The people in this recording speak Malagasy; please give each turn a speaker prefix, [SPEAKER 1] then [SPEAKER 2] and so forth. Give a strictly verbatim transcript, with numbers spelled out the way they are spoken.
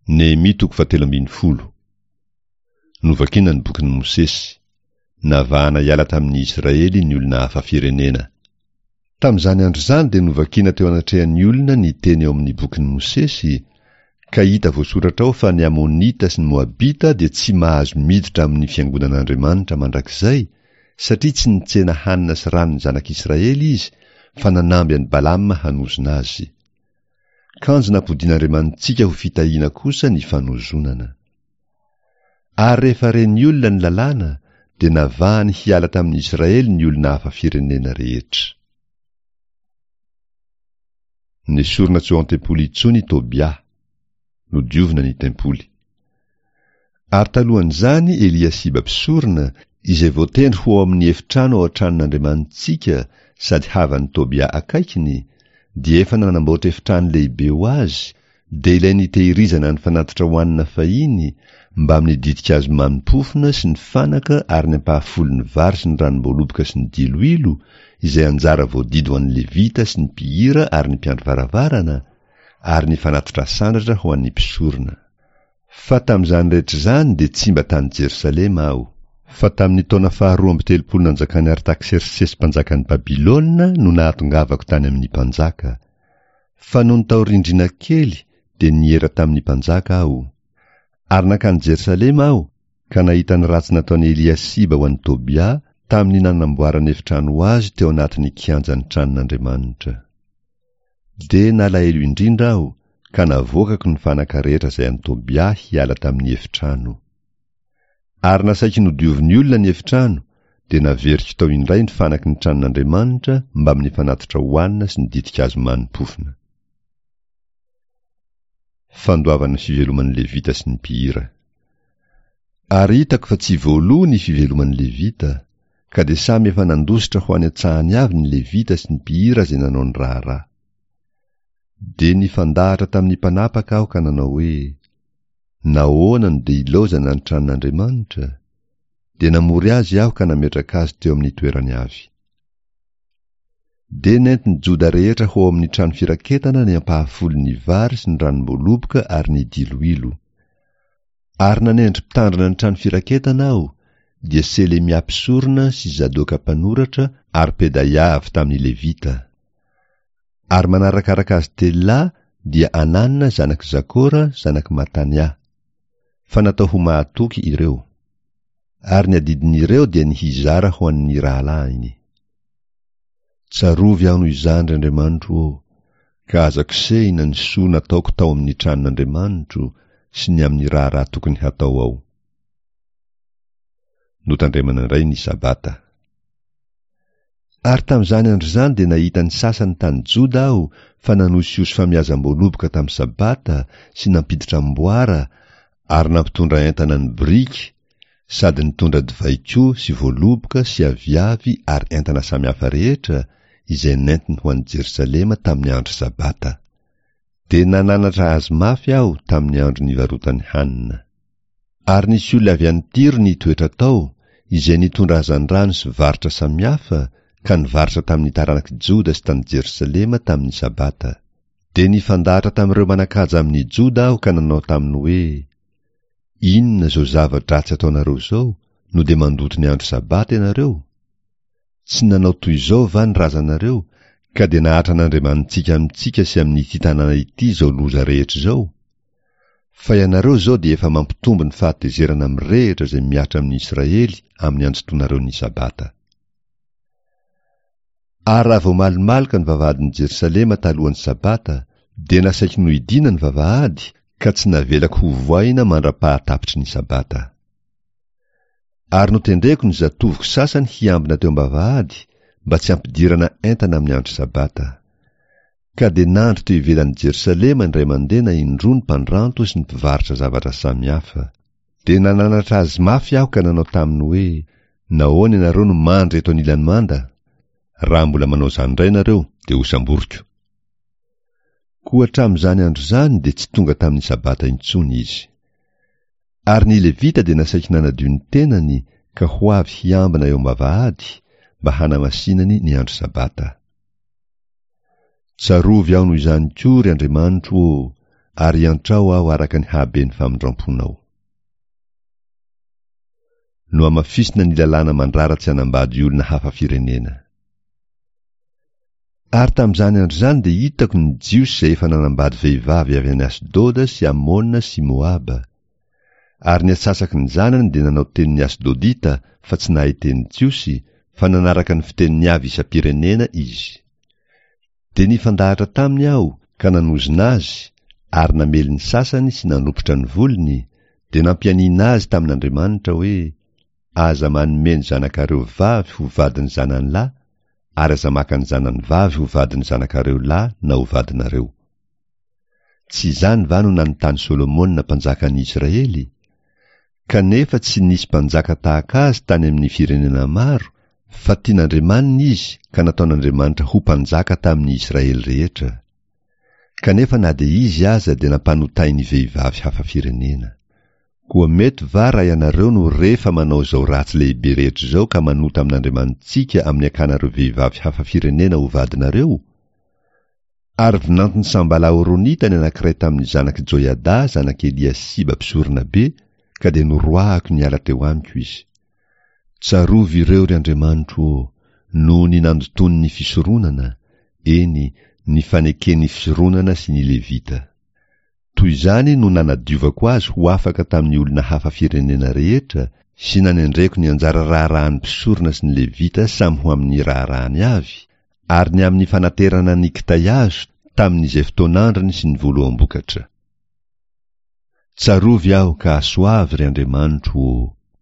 [SPEAKER 1] Nehemia toko fahatelo ambin'ny folo. Novakina ny bokin'i Mosesy. Navahana hiala tamin'ny Israely ny olona hafa firenena. Tamin'izany andro izany dia novakina teo anatrehan'ny olona ny teny ao amin'ny bokin'i Mosesy, ka hita voasoratra ao fa ny Amonita sy ny Moabita dia tsy mahazo miditra amin'ny fiangonan'Andriamanitra mandrakizay, satria tsy nitsena hanina sy rano ny zanak'Israely izy, fa nanamby an'i Balama hanozona azy. Kanjo nampodian'Andriamanitsika ho fitahiana kosa ny fanozonana. Ary rehefa ren'ny olona ny lalàna, dia navahany hiala tamin'ny Israely ny olona hafa firenena rehetra. Nesorina tsy ao an-tempoly intsony i Tobia. Nodiovina ny tempoly. Ary talohan'izany Eliasiba mpisorona, izay voatendry ho ao amin'ny efitrano ao an-tranon'Andriamanitsika sady havan'i Tobia akaikiny, dia efa nanamboatra efitrano lehibe ho azy, dia ilay nitehirizana ny fanatitra hohanina fahiny, mbamin'ny ditin-kazo mamy-pofona sy ny fanaka ary ny ampahafolon'ny vary sy ny ranom-boaloboka sy ny diloilo, izay anjara voadidy ho an'ny Levita sy ny mpihira ary ny mpiandry varavarana, ary ny fanatitra asandratra ho an'ny mpisorona. Fa tamin'izany rehetra izany dia tsy mba tany Jerosalema aho. Fa tamin'ny taona faharoa amby telopolo nanjakan'i Artaksersesy mpanjakan'i Babylona no nahatongavako tany amin'ny mpanjaka. Fa nony tao rindrina kely dia niera tamin'ny mpanjaka aho. Ary nankany Jerosalema aho, ka nahita ny ratsy nataon'i Eliasiba ho an'i Tobia tamin'ny nanamboarany efitrano ho azy teo anatin'ny kianjan'ny tranon'Andriamanitra. Dia nalahelo indrindra aho, ka navoakako ny fanaka rehetra izay an'i Tobia hiala tamin'ny efitrano. Ary nasaiko nodiovin'ny olona ny efitrano, dia naveriko tao indray ny fanaky ny tranon'Andriamanitra mbamin'ny fanatitra hohanina sy ny ditin-kazo mani-pofona. Fandoavana ny fiveloman'ny Levita sy ny mpihira. Ary hitako fa tsy voaloa ny fiveloman'ny Levita, ka dia samy efa nandositra ho any an-tsahany avy ny Levita sy ny mpihira izay nanao ny raharaha. Dia nifandahatra tamin'ny mpanapaka aho ka nanao hoe, Nahoana no dia ilaozana ny tranon'Andriamanitra? Dia namory azy aho ka nametraka azy teo amin'ny toerany avy. Dia nentin'ny Joda rehetra ho ao amin'ny trano firaketana ny ampahafolon'ny vary sy ny ranom-boaloboka ary ny diloilo. Ary nanendry mpitandrina ny trano firaketana aho, dia Selemia mpisorona sy Zadoka mpanoratra ary Pedaia avy tamin'ny Levita. Ary manarakaraka azy telo lahy dia Anana zanak'i Zakora zanak'i Matania. Fa natao ho mahatoky ireo. Ary ny adidin'ireo dia ny hizara ho an'ny rahalahiny. Tsarovy aho noho izany, ry Andriamanitro ô, ka aza kosehina ny soa nataoko tao amin'ny tranon'Andriamanitro sy ny amin'ny raharaha tokony hatao ao. Notandremana indray ny Sabata. Ary tamin'izany andro izany dia nahita ny sasany tany Joda aho fa nanosihosy famiazam-boaloboka tamin'ny Sabata sy nampiditra amboara ary nampitondra entana ny biriky sady nitondra divay koa sy voaloboka sy aviavy ary entana samihafa rehetra izay nentiny ho any Jerosalema tamin'ny andro Sabata. Dia nananatra azy mafy aho tamin'ny andro nivarotany hanina. Ary nisy olona avy any Tyro nitoetra tao, izay nitondra hazandrano sy varotra samihafa, ka nivarotra tamin'ny taranak'i Joda sy tany Jerosalema tamin'ny Sabata. Dia nifandahatra tamin'ireo manan-kaja amin'i Joda aho ka nanao taminy hoe, Inona izao zava-dratsy ataonareo izao, no dia mandoto ny andro Sabata ianareo? Tsy nanao toy izao va ny razanareo, ka dia nahatra an'Andriamanitsika amintsika sy amin'ity tanàna ity izao loza rehetra izao? Fa ianareo izao dia efa mampitombo ny fahatezerana mirehitra izay mihatra amin'ny Israely amin'ny anjotonareo ny Sabata. Ary raha vao malomaloka ny vavahadin'i Jerosalema talohan'ny Sabata, dia nasaiko nohidiana ny vavahady, ka tsy navelako hovohaina mandra-pahatapitry ny Sabata. Ary notendreko ny zatovoko sasany hiambina teo am-bavahady, mba tsy hampidirana entana amin'ny andro Sabata. Ka dia nandry teo ivelan'i Jerosalema indray mandeha na indroa ny mpandranto sy ny mpivarotra zavatra samihafa. Dia nananatra azy mafy aho ka nanao taminy hoe, Nahoana ianareo no mandry eto anilan'ny manda? Raha mbola manao izany indray ianareo, dia hosamboriko. Koa hatramin'izany andro izany dia tsy tonga tamin'ny Sabata intsony izy. Ary ny Levita dia nasaiko nanadio ny tenany ka ho avy hiambina eo am-bavahady, mba hanamasinany ny andro Sabata. Tsarovy aho noho izany koa, ry Andriamanitro ô, ary iantrao aho araka ny haben'ny famindramponao. Nohamafisina ny lalàna mandrara tsy hanambady olona hafa firenena. Ary tamin'izany andro izany dia hitako ny Jiosy izay efa nanambady vehivavy avy any Asdoda sy Amona sy Moaba. Ary ny atsasaky ny zanany dia nanao tenin'ny Asdodita fa tsy nahay teny Jiosy, fa nanaraka ny fiteniny avy isam-pirenena izy. Dia nifandahatra taminy aho ka nanozona azy, ary namely ny sasany sy nanopotra ny volony, dia nampianiana azy tamin'Andriamanitra hoe, Aza manome ny zanakareo vavy ho vadin'ny zanany lahy, ary aza maka ny zanany vavy ho vadin'ny zanakareo lahy na ho vadinareo. Tsy izany va no nanontany Solomona mpanjakan'ny Israely? Kanefa tsy nisy mpanjaka tahaka azy tany amin'ny firenena maro, fa tian'Andriamaniny izy ka nataon'Andriamanitra ho mpanjaka tamin'ny Israely rehetra. Kanefa na dia izy aza dia nampanotain'ny vehivavy hafa firenena. Koa mety va raha ianareo no re fa manao izao ratsy lehibe rehetra izao ka manota amin'Andriamanitsika amin'ny akanareo vehivavy hafa firenena ho vadinareo? Ary vinanton'i Sambala Horonita ny anankiray tamin'ny zanak'i Joiada zanak'i Eliasiba mpisoronabe, ka dia noroahako niala teo amiko izy. Tsarovy ireo, ry Andriamanitro ô, noho ny nandotoany ny fisoronana, eny, ny faneken'ny fisoronana sy ny Levita. Toy izany no nanadiovako azy ho afaka tamin'ny olona hafa firenena rehetra, sy nanendreko ny anjara raharahan'ny mpisorona sy ny Levita samy ho amin'ny raharahany avy, ary ny amin'ny fanaterana ny kitay azo tamin'izay fotoan'androny sy ny voaloham-bokatra. Tsarovy aho ka asoavy, ry Andriamanitro ô!